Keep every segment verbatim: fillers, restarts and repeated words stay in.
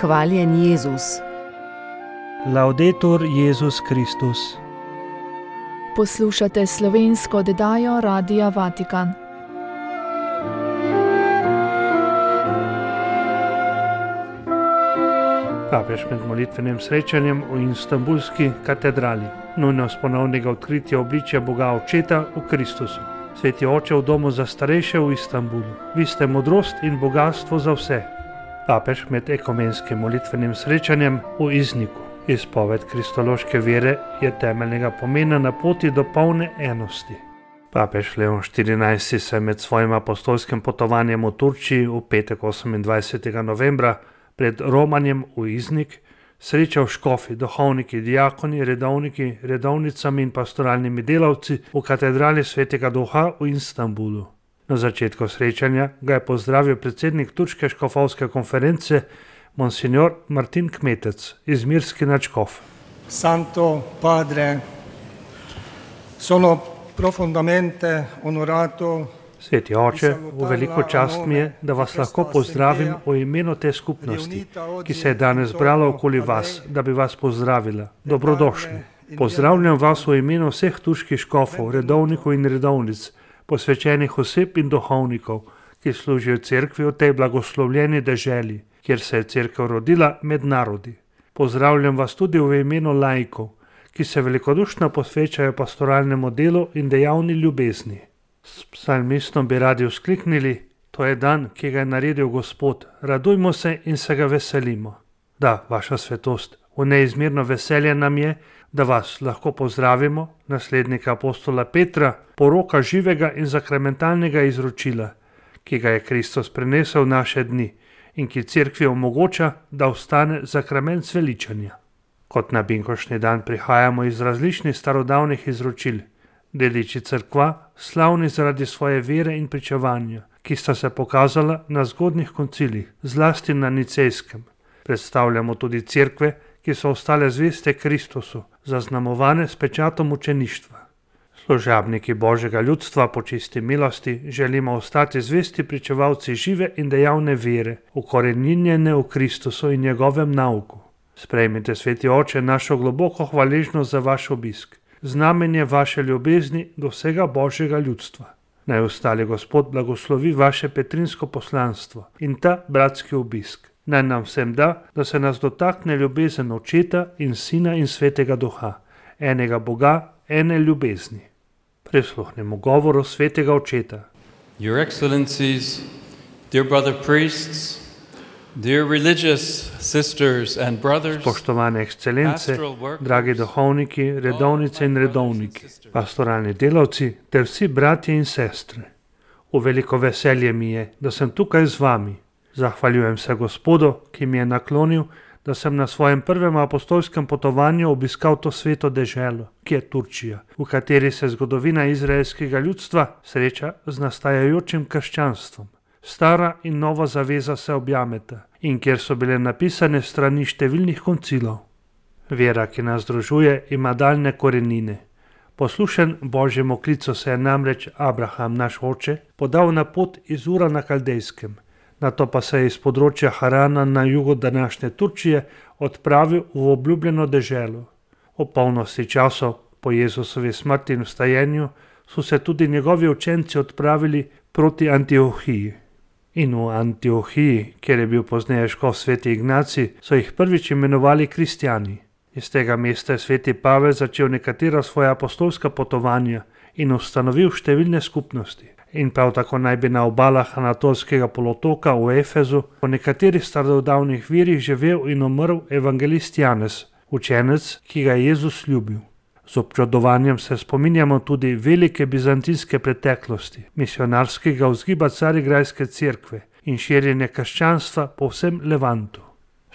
Hvaljen Jezus. Laudetur Jezus Kristus. Poslušate slovensko oddajo Radia Vatikan. Papež med molitvenim srečanjem v Istanbulski katedrali. Nujnost ponovnega odkritja obličja Boga Očeta v Kristusu. Sveti Oče v domu za starejše v Istanbulu. Vi ste modrost in bogatstvo za vse. Papež med ekumenskim molitvenim srečanjem v Izniku. Izpoved kristološke vere je temeljnega pomena na poti do polne enosti. Papež Leon štirinajsti se med svojim apostolskim potovanjem v Turčiji v petek osemindvajsetega novembra pred romanjem v Iznik srečal škofi, duhovniki, diakoni, redovniki, redovnicami in pastoralnimi delavci v katedrali Svetega Duha v Istanbulu. Na začetku srečanja ga je pozdravil predsednik Turške škofovske konference Monsignor Martin Kmetec, izmirski nadškof. Santo Padre, sono profondamente onorato. Sveti Oče, v veliko čast mi je, da vas lahko pozdravim v imenu te skupnosti, ki se je danes zbrala okoli vas, da bi vas pozdravila. Dobrodošli. Pozdravljam vas v imenu vseh turških škofov, redovnikov in redovnic, posvečenih oseb in duhovnikov, ki služijo cerkvi v tej blagoslovljeni deželi, kjer se je cerkev rodila med narodi. Pozdravljam vas tudi v imenu laikov, ki se velikodušno posvečajo pastoralnemu delu in dejavni ljubezni. S psalmistom bi radi vzkliknili: to je dan, ki ga je naredil Gospod, radujmo se in se ga veselimo. Da, vaša svetost, v neizmerno veselje nam je, da vas lahko pozdravimo, naslednika apostola Petra, poroka živega in sakramentalnega izročila, ki ga je Kristus prenesel v naše dni in ki cerkvi omogoča, da ostane sakrament zveličanja. Kot na binkošnji dan prihajamo iz različnih starodavnih izročil, deliči cerkva, slavni zaradi svoje vere in pričevanja, ki sta se pokazala na zgodnjih koncilih, zlasti na Nicejskem. Predstavljamo tudi cerkve, ki so ostale zveste Kristusu, zaznamovane s pečatom učeništva. Služabniki Božjega ljudstva po čisti milosti želimo ostati zvesti pričevalci žive in dejavne vere, ukoreninjene v Kristusu in njegovem nauku. Sprejmite, Sveti Oče, našo globoko hvaležnost za vaš obisk, znamenje vaše ljubezni do vsega Božjega ljudstva. Naj ostali Gospod blagoslovi vaše petrinsko poslanstvo in ta bratski obisk. Naj nam vsem da, da se nas dotakne ljubezen Očeta in Sina in Svetega Duha, enega Boga, ene ljubezni. Prisluhnemo govoru Svetega Očeta. Your Excellencies, dear brother priests, dear religious sisters and brothers, Spoštovane ekscelence, dragi duhovniki, redovnice in redovniki, pastoralni delavci ter vsi bratje in sestre. V veliko veselje mi je, da sem tukaj z vami. Zahvaljujem se Gospodu, ki mi je naklonil, da sem na svojem prvem apostolskem potovanju obiskal to sveto deželo, ki je Turčija, v kateri se zgodovina izraelskega ljudstva sreča z nastajajočim krščanstvom. Stara in nova zaveza se objameta in kjer so bile napisane strani številnih koncilov. Vera, ki nas združuje, ima daljne korenine. Poslušen Božjemu klicu se je namreč Abraham, naš oče, podal na pot iz Ura na Kaldejskem, nato pa se je iz področja Harana na jugu današnje Turčije odpravil v obljubljeno deželo. O polnosti časov po Jezusovi smrti in vstajenju so se tudi njegovi učenci odpravili proti Antiohiji. In v Antiohiji, kjer je bil pozneje škof sveti Ignacij, so jih prvič imenovali kristjani. Iz tega mesta je sveti Pavel začel nekatera svoja apostolska potovanja in ustanovil številne skupnosti. In prav tako naj bi na obalah Anatolskega polotoka v Efezu po nekaterih starodavnih virih živel in umrl evangelist Janez, učenec, ki ga je Jezus ljubil. Z občudovanjem se spominjamo tudi velike bizantinske preteklosti, misionarskega vzgiba Carigrajske cerkve in širjenja krščanstva po vsem Levantu.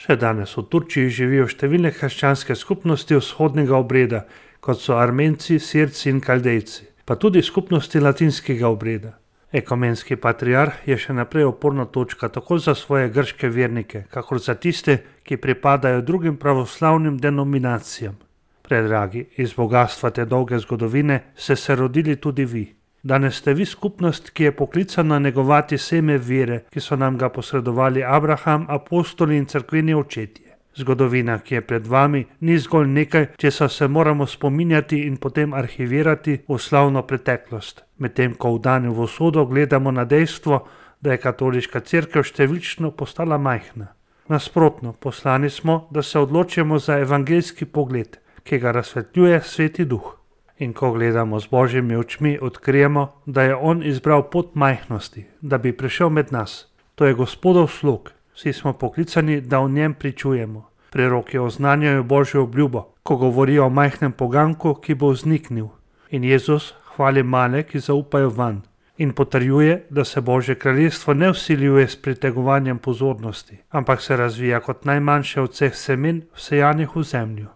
Še danes v Turčiji živijo številne krščanske skupnosti vzhodnega obreda, kot so Armenci, Sirci in Kaldejci, pa tudi skupnosti latinskega obreda. Ekumenski patriarh je še naprej oporna točka tako za svoje grške vernike, kakor za tiste, ki pripadajo drugim pravoslavnim denominacijam. Predragi, iz bogatstva te dolge zgodovine ste se rodili tudi vi. Danes ste vi skupnost, ki je poklicana negovati seme vere, ki so nam ga posredovali Abraham, apostoli in cerkveni očetje. Zgodovina, ki je pred vami, ni zgolj nekaj, česar se moramo spominjati in potem arhivirati v slavno preteklost, medtem ko v danju v usodo gledamo na dejstvo, da je katoliška cerkev številčno postala majhna. Nasprotno, poslani smo, da se odločimo za evangeljski pogled, ki ga razsvetljuje Sveti Duh. In ko gledamo z Božjimi očmi, odkrijemo, da je On izbral pot majhnosti, da bi prišel med nas. To je Gospodov slog. Vsi smo poklicani, da o njem pričujemo. Preroki oznanjajo Božjo obljubo, ko govorijo o majhnem poganku, ki bo vzniknil. In Jezus hvali male, ki zaupajo vanj. In potrjuje, da se Božje kraljestvo ne vsiljuje s pritegovanjem pozornosti, ampak se razvija kot najmanjše od vseh semen, vsejanih v zemljo.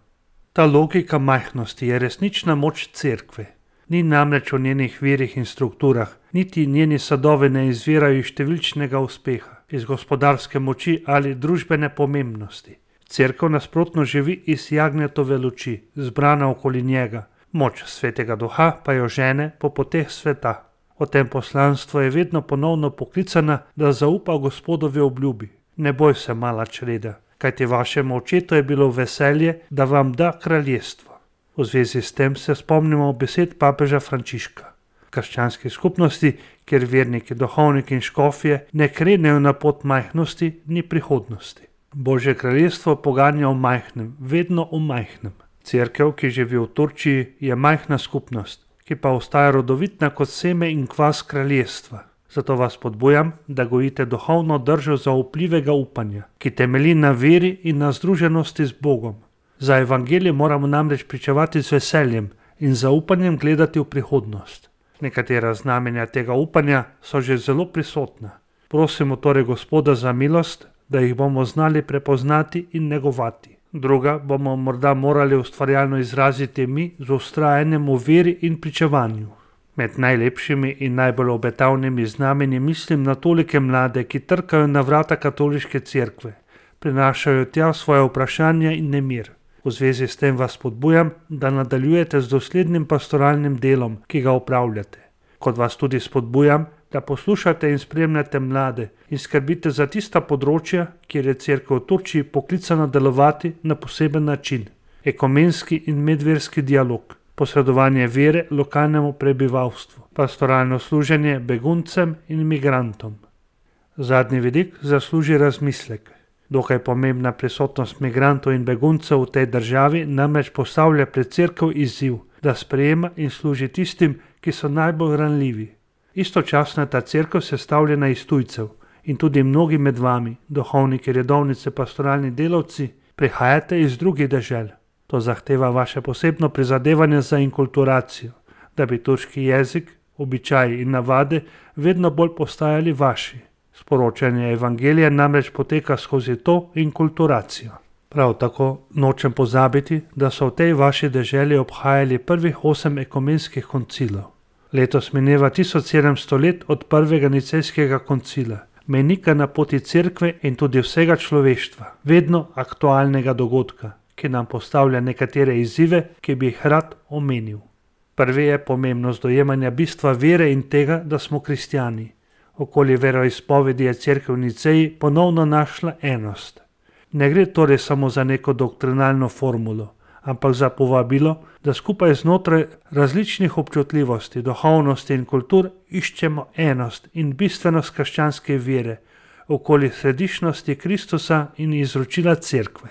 Ta logika majhnosti je resnična moč cerkve. Ni namreč v njenih virih in strukturah, niti njeni sadovi ne izvirajo iz številčnega uspeha, iz gospodarske moči ali družbene pomembnosti. Cerkev nasprotno živi iz jagnjetove luči, zbrana okoli njega. Moč Svetega Duha pa jo žene po poteh sveta. O tem poslanstvu je vedno ponovno poklicana, da zaupa Gospodovi obljubi. Ne boj se, mala čreda, kajti vašemu očetu je bilo veselje, da vam da kraljestvo. V zvezi s tem se spomnimo besed papeža Frančiška. V krščanski skupnosti, kjer verniki, duhovniki in škofje ne krenejo na pot majhnosti, ni prihodnosti. Božje kraljestvo poganja o majhnem, vedno o majhnem. Cerkev, ki živi v Turčiji, je majhna skupnost, ki pa ostaja rodovitna kot seme in kvas kraljestva. Zato vas podbujam, da gojite duhovno držo zaupljivega upanja, ki temelji na veri in na združenosti z Bogom. Za evangelije moramo namreč pričevati z veseljem in zaupanjem gledati v prihodnost. Nekatera znamenja tega upanja so že zelo prisotna. Prosimo torej Gospoda za milost, da jih bomo znali prepoznati in negovati. Druga bomo morda morali ustvarjalno izraziti mi z vztrajanjem v veri in pričevanju. Med najlepšimi in najbolj obetavnimi znamenji mislim na tolike mlade, ki trkajo na vrata katoliške cerkve, prinašajo tja svoje vprašanja in nemir. V zvezi s tem vas podbujam, da nadaljujete z doslednim pastoralnim delom, ki ga opravljate. Kot vas tudi spodbujam, da poslušate in spremljate mlade in skrbite za tista področja, kjer je cerkev v Turčiji poklicana delovati na poseben način. Ekumenski in medverski dialog, posredovanje vere lokalnemu prebivalstvu, pastoralno služenje beguncem in migrantom. Zadnji vidik zasluži razmislek. Dokaj pomembna prisotnost migrantov in beguncev v tej državi namreč postavlja pred cerkev izziv, da sprejema in služi tistim, ki so najbolj ranljivi. Istočasno je ta cerkev sestavljena iz tujcev in tudi mnogi med vami, duhovniki, redovnice, pastoralni delavci, prihajate iz drugih dežel. To zahteva vaše posebno prizadevanje za inkulturacijo, da bi turški jezik, običaji in navade vedno bolj postajali vaši. Sporočanje evangelija namreč poteka skozi to inkulturacijo. Prav tako nočem pozabiti, da so v tej vaši deželi obhajali prvih osem ekumenskih koncilov. Letos mineva tisoč sedemsto let od prvega nicejskega koncila, mejnika na poti cerkve in tudi vsega človeštva, vedno aktualnega dogodka, ki nam postavlja nekatere izzive, ki bi jih rad omenil. Prvi je pomembnost dojemanja bistva vere in tega, da smo kristjani. Okoli veroizpovedi je cerkev v Niceji ponovno našla enost. Ne gre torej samo za neko doktrinalno formulo, ampak za povabilo, da skupaj znotraj različnih občutljivosti, duhovnosti in kultur iščemo enost in bistvenost krščanske vere okoli središčnosti Kristusa in izročila cerkve.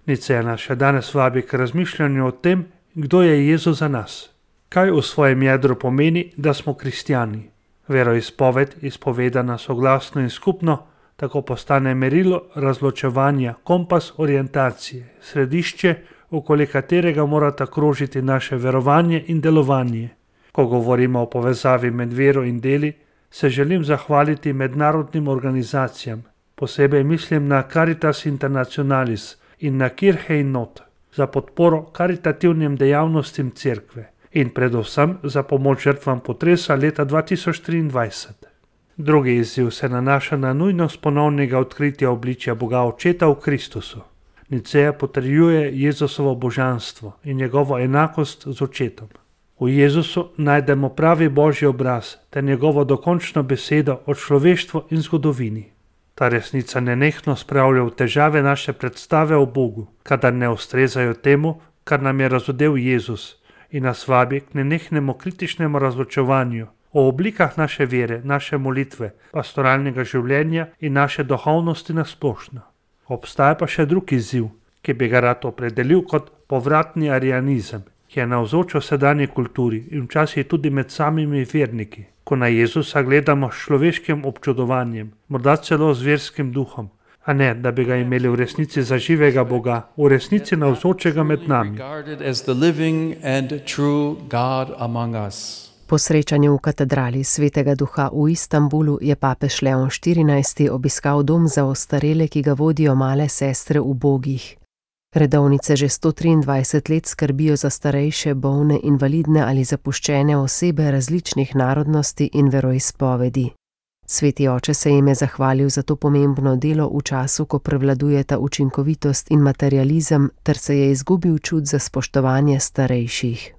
Niceja nas še danes vabi k razmišljanju o tem, kdo je Jezus za nas. Kaj v svojem jedru pomeni, da smo kristjani? Veroizpoved, izpovedana soglasno in skupno, tako postane merilo razločevanja, kompas orientacije, središče, okoli katerega morata krožiti naše verovanje in delovanje. Ko govorimo o povezavi med vero in deli, se želim zahvaliti mednarodnim organizacijam, posebej mislim na Caritas Internationalis in na Kirche in Not, za podporo karitativnim dejavnostim cerkve in predvsem za pomoč žrtvam potresa leta dva tisoč triindvajset. Drugi izziv se nanaša na nujnost ponovnega odkritja obličja Boga Očeta v Kristusu. Niceja potrjuje Jezusovo božanstvo in njegovo enakost z Očetom. V Jezusu najdemo pravi Božji obraz ter njegovo dokončno besedo o človeštvu in zgodovini. Ta resnica nenehno spravlja v težave naše predstave o Bogu, kadar ne ustrezajo temu, kar nam je razodel Jezus, in nas vabi k nenehnemu kritičnemu razločevanju o oblikah naše vere, naše molitve, pastoralnega življenja in naše duhovnosti nasplošno. Obstaja pa še drug izziv, ki bi ga rad opredelil kot povratni arianizem, ki je navzoč v sedanji kulturi in včasih tudi med samimi verniki, ko na Jezusa gledamo s človeškim občudovanjem, morda celo z verskim duhom, a ne, da bi ga imeli v resnici za živega Boga, v resnici navzočega med nami. Po srečanju v katedrali Svetega Duha v Istanbulu je papež Leon štirinajsti obiskal dom za ostarele, ki ga vodijo male sestre ubogih. Redovnice že sto triindvajset let skrbijo za starejše, bolne, invalidne ali zapuščene osebe različnih narodnosti in veroizpovedi. Sveti oče se jim je zahvalil za to pomembno delo v času, ko prevladujeta učinkovitost in materializem, ter se je izgubil čut za spoštovanje starejših.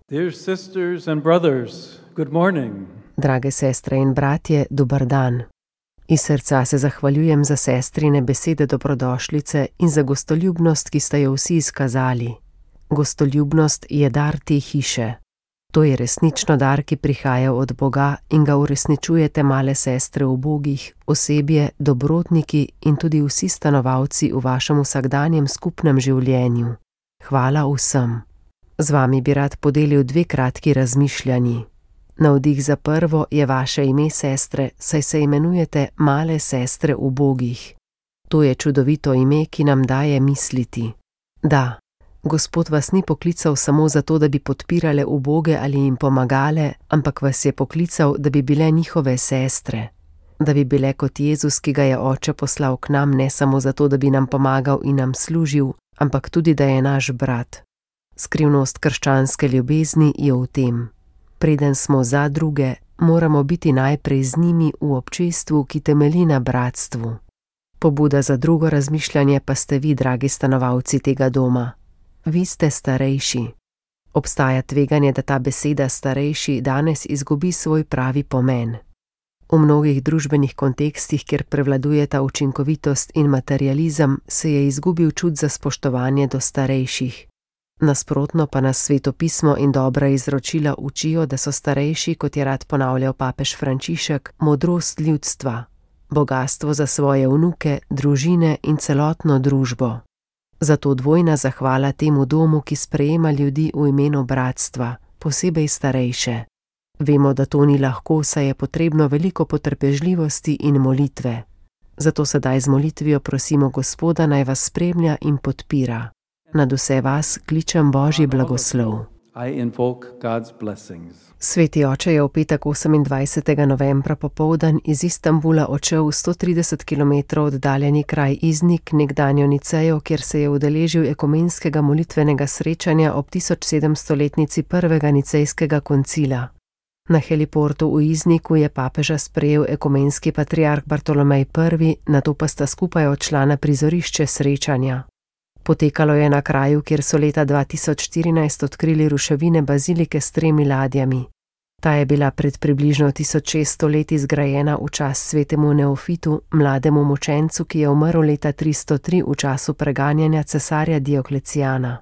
Drage sestre in bratje, dober dan. Iz srca se zahvaljujem za sestrine besede dobrodošlice in za gostoljubnost, ki ste jo vsi izkazali. Gostoljubnost je dar te hiše. To je resnično dar, ki prihaja od Boga in ga uresničujete male sestre ubogih, osebje, dobrotniki in tudi vsi stanovalci v vašem vsakdanjem skupnem življenju. Hvala vsem. Z vami bi rad podelil dve kratki razmišljanji. Navdih za prvo je vaše ime, sestre, saj se imenujete male sestre ubogih. To je čudovito ime, ki nam daje misliti. Da, Gospod vas ni poklical samo zato, da bi podpirale uboge ali jim pomagale, ampak vas je poklical, da bi bile njihove sestre. Da bi bile kot Jezus, ki ga je Oče poslal k nam ne samo zato, da bi nam pomagal in nam služil, ampak tudi, da je naš brat. Skrivnost krščanske ljubezni je v tem. Preden smo za druge, moramo biti najprej z njimi v občestvu, ki temelji na bratstvu. Pobuda za drugo razmišljanje pa ste vi, dragi stanovalci tega doma. Vi ste starejši. Obstaja tveganje, da ta beseda starejši danes izgubi svoj pravi pomen. V mnogih družbenih kontekstih, kjer prevladujeta učinkovitost in materializem, se je izgubil čut za spoštovanje do starejših. Nasprotno pa nas svetopismo in dobra izročila učijo, da so starejši, kot je rad ponavljal papež Frančišek, modrost ljudstva, bogastvo za svoje vnuke, družine in celotno družbo. Zato dvojna zahvala temu domu, ki sprejema ljudi v imenu bratstva, posebej starejše. Vemo, da to ni lahko, saj je potrebno veliko potrpežljivosti in molitve. Zato sedaj z molitvijo prosimo Gospoda, naj vas spremlja in podpira. Nad vse vas kličem Božji blagoslov. Sveti oče je v petek osemindvajsetega novembra popoldan iz Istanbula odšel v sto trideset kilometrov oddaljeni kraj Iznik, nekdanjo Nicejo, kjer se je udeležil ekumenskega molitvenega srečanja ob tisočsedemstoletnici prvega nicejskega koncila. Na heliportu v Izniku je papeža sprejel ekumenski patriarh Bartolomej prvi, nato pa sta skupaj odšla na prizorišče srečanja. Potekalo je na kraju, kjer so leta dva tisoč štirinajst odkrili ruševine bazilike s tremi ladjami. Ta je bila pred približno tisoč šeststo leti zgrajena v čas svetemu Neofitu, mlademu mučencu, ki je umrl leta tristo tri v času preganjanja cesarja Dioklecijana.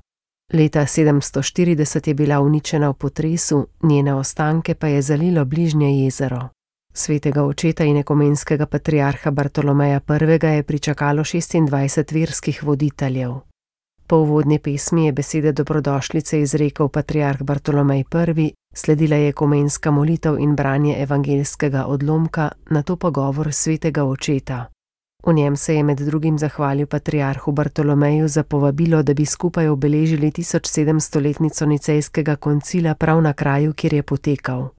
Leta sedemsto štirideset je bila uničena v potresu, njene ostanke pa je zalilo bližnje jezero. Svetega očeta in ekumenskega patriarha Bartolomeja prvega je pričakalo šestindvajset verskih voditeljev. Po uvodni pesmi je besede dobrodošlice izrekel patriarh Bartolomej prvi, sledila je ekumenska molitev in branje evangeljskega odlomka, nato pa govor svetega očeta. V njem se je med drugim zahvalil patriarhu Bartolomeju za povabilo, da bi skupaj obeležili tisočsedemstoletnico nicejskega koncila prav na kraju, kjer je potekal.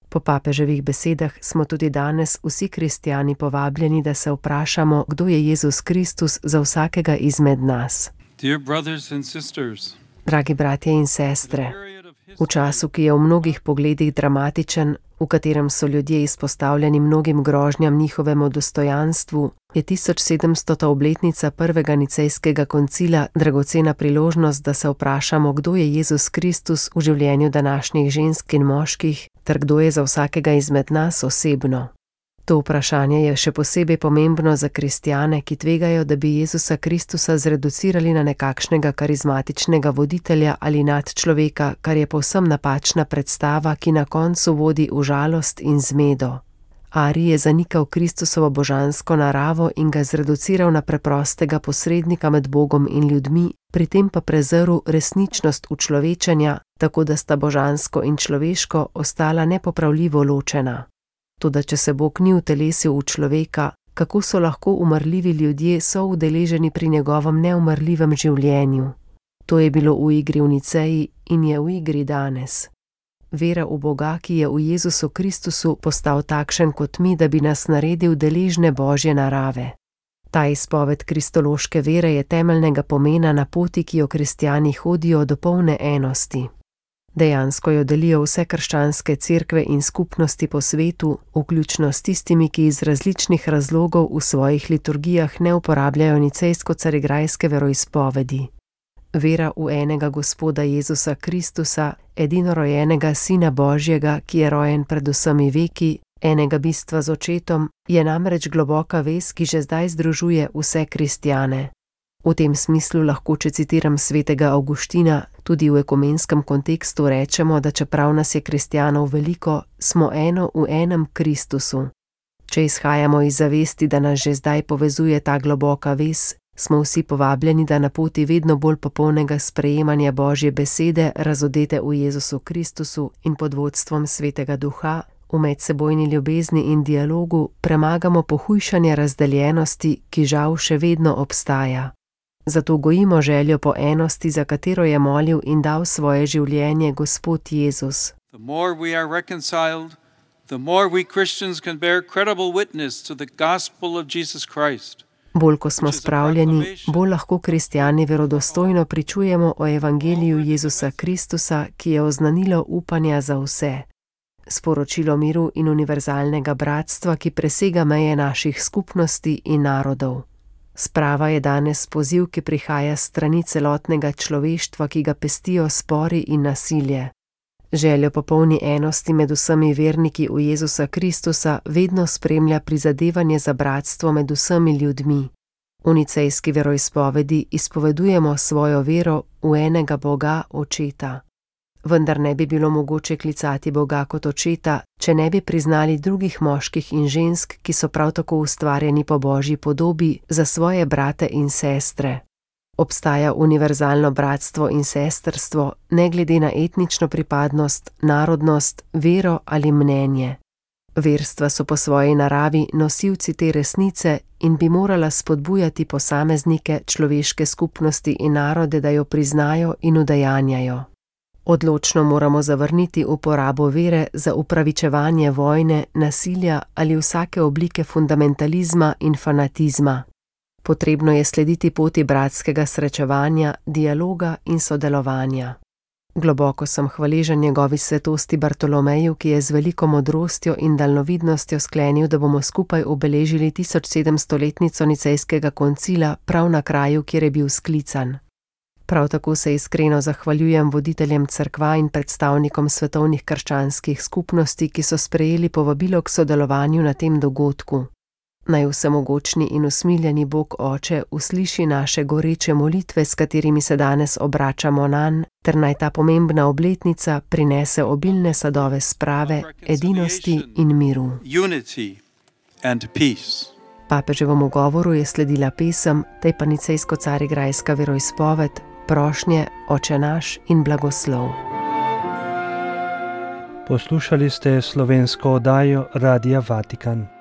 Po papeževih besedah smo tudi danes vsi kristjani povabljeni, da se vprašamo, kdo je Jezus Kristus za vsakega izmed nas. Dragi bratje in sestre, V času, ki je v mnogih pogledih dramatičen, v katerem so ljudje izpostavljeni mnogim grožnjam njihovemu dostojanstvu, je tisoč sedemstota obletnica prvega nicejskega koncila dragocena priložnost, da se vprašamo, kdo je Jezus Kristus v življenju današnjih žensk in moških, ter kdo je za vsakega izmed nas osebno. To vprašanje je še posebej pomembno za kristjane, ki tvegajo, da bi Jezusa Kristusa zreducirali na nekakšnega karizmatičnega voditelja ali nadčloveka, kar je povsem napačna predstava, ki na koncu vodi v žalost in zmedo. Ari je zanikal Kristusovo božansko naravo in ga zreduciral na preprostega posrednika med Bogom in ljudmi, pri tem pa prezrl resničnost učlovečenja, tako da sta božansko in človeško ostala nepopravljivo ločena. Toda če se Bog ni utelesil v človeka, kako so lahko umrljivi ljudje soudeleženi pri njegovem neumrljivem življenju? To je bilo v igri v Niceji in je v igri danes. Vera v Boga, ki je v Jezusu Kristusu postal takšen kot mi, da bi nas naredil deležne Božje narave. Ta izpoved kristološke vere je temeljnega pomena na poti, ki jo kristjani hodijo do polne enosti. Dejansko jo delijo vse krščanske cerkve in skupnosti po svetu, vključno s tistimi, ki iz različnih razlogov v svojih liturgijah ne uporabljajo nicejsko-carigrajske veroizpovedi. Vera v enega Gospoda Jezusa Kristusa, edinorojenega Sina Božjega, ki je rojen pred vsemi veki, enega bistva z očetom, je namreč globoka vez, ki že zdaj združuje vse kristjane. V tem smislu lahko, če citiram svetega Avguština, tudi v ekumenskem kontekstu rečemo, da čeprav nas je kristjanov veliko, smo eno v enem Kristusu. Če izhajamo iz zavesti, da nas že zdaj povezuje ta globoka vez, smo vsi povabljeni, da na poti vedno bolj popolnega sprejemanja Božje besede, razodete v Jezusu Kristusu in pod vodstvom Svetega Duha, v medsebojni ljubezni in dialogu premagamo pohujšanje razdeljenosti, ki žal še vedno obstaja. Zato gojimo željo po enosti, za katero je molil in dal svoje življenje Gospod Jezus. The more we are reconciled, the more we Christians can bear credible witness to the gospel of Jesus Christ. Bolj ko smo spravljeni, bolj lahko kristjani verodostojno pričujemo o evangeliju Jezusa Kristusa, ki je oznanilo upanja za vse. Sporočilo miru in univerzalnega bratstva, ki presega meje naših skupnosti in narodov. Sprava je danes poziv, ki prihaja s strani celotnega človeštva, ki ga pestijo spori in nasilje. Željo po polni enosti med vsemi verniki v Jezusa Kristusa vedno spremlja prizadevanje za bratstvo med vsemi ljudmi. V nicejski veroizpovedi izpovedujemo svojo vero v enega Boga, Očeta. Vendar ne bi bilo mogoče klicati Boga kot Očeta, če ne bi priznali drugih moških in žensk, ki so prav tako ustvarjeni po Božji podobi, za svoje brate in sestre. Obstaja univerzalno bratstvo in sestrstvo, ne glede na etnično pripadnost, narodnost, vero ali mnenje. Verstva so po svoji naravi nosilci te resnice in bi morala spodbujati posameznike, človeške skupnosti in narode, da jo priznajo in udejanjajo. Odločno moramo zavrniti uporabo vere za upravičevanje vojne, nasilja ali vsake oblike fundamentalizma in fanatizma. Potrebno je slediti poti bratskega srečevanja, dialoga in sodelovanja. Globoko sem hvaležen njegovi svetosti Bartolomeju, ki je z veliko modrostjo in daljnovidnostjo sklenil, da bomo skupaj obeležili tisoč sedemstoletnico nicejskega koncila prav na kraju, kjer je bil sklican. Prav tako se iskreno zahvaljujem voditeljem cerkva in predstavnikom svetovnih krščanskih skupnosti, ki so sprejeli povabilo k sodelovanju na tem dogodku. Naj vsemogočni in usmiljeni Bog Oče usliši naše goreče molitve, s katerimi se danes obračamo nanj, ter naj ta pomembna obletnica prinese obilne sadove sprave, edinosti in miru. Papeževemu govoru je sledila pesem, tej pa nicejsko-carigrajska veroizpoved, prošnje, Oče naš in blagoslov. Poslušali ste slovensko oddajo Radia Vatikan.